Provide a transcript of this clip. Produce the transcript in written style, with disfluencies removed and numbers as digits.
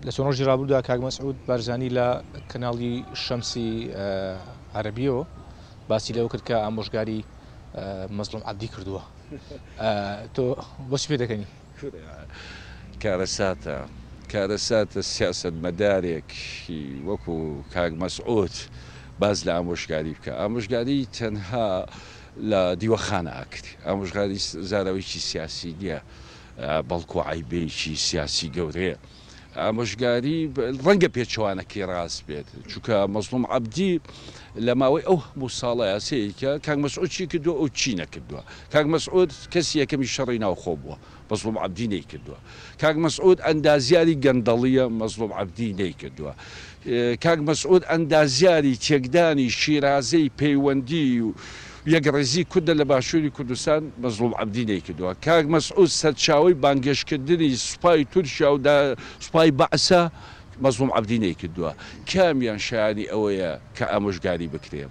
لە چەند ڕۆژی ڕابردوودا کاک مەسعود بارزانی لە کەناڵی شەمسی عەرەبیەوە باسی لەوە کرد کە ئامۆژگاری مەزڵوم عەبدی کردووە. تۆ بۆچی پێ دەکەنی؟ کارەساتە کارەساتە سیاسەتمەدارێکی وەکو کاک مەسعود باس لە ئامۆژگاری بکە. ئامۆژگاری تەنها لە دیوەخانە ئەکرێ. ئامۆژگاری زاراوەیەکی سیاسی نییە، بەڵکو عەیبەیەکی سیاسی گەورەیە. ئامۆژگاری ڕەنگە پێچەوانەکەی ڕاست بێت، چونکە مەزڵوم عەبدی لە ماوەی ئەو هەموو ساڵەیا سەیرکە کاک مەسعود چی کردووە ئەو چی نەکردووە. کاک مەسعود کەسی یەکەمی شەڕی ناوخۆ بووە، مەزڵوم عەبدی نەیکردووە. کاک مەسعود ئەندازیاری گەندەڵییە، مەزڵوم عەبدی نەیکردووە. کاک مەسعود ئەندازیاری تێکدانی شیرازەی پەیوەندی و یەکڕیزی کوردە لە باشووری کوردستان، مەزڵوم عەبدی نەیکردووە. کاک مەسعود سەرچاوەی بانگهێشتکردنی سوپای تورکیا و سوپای بەعسە، مەزڵوم عەبدی نەیکردووە. کامیان شایانی ئەوەیە کە ئامۆژگاری بکرێ؟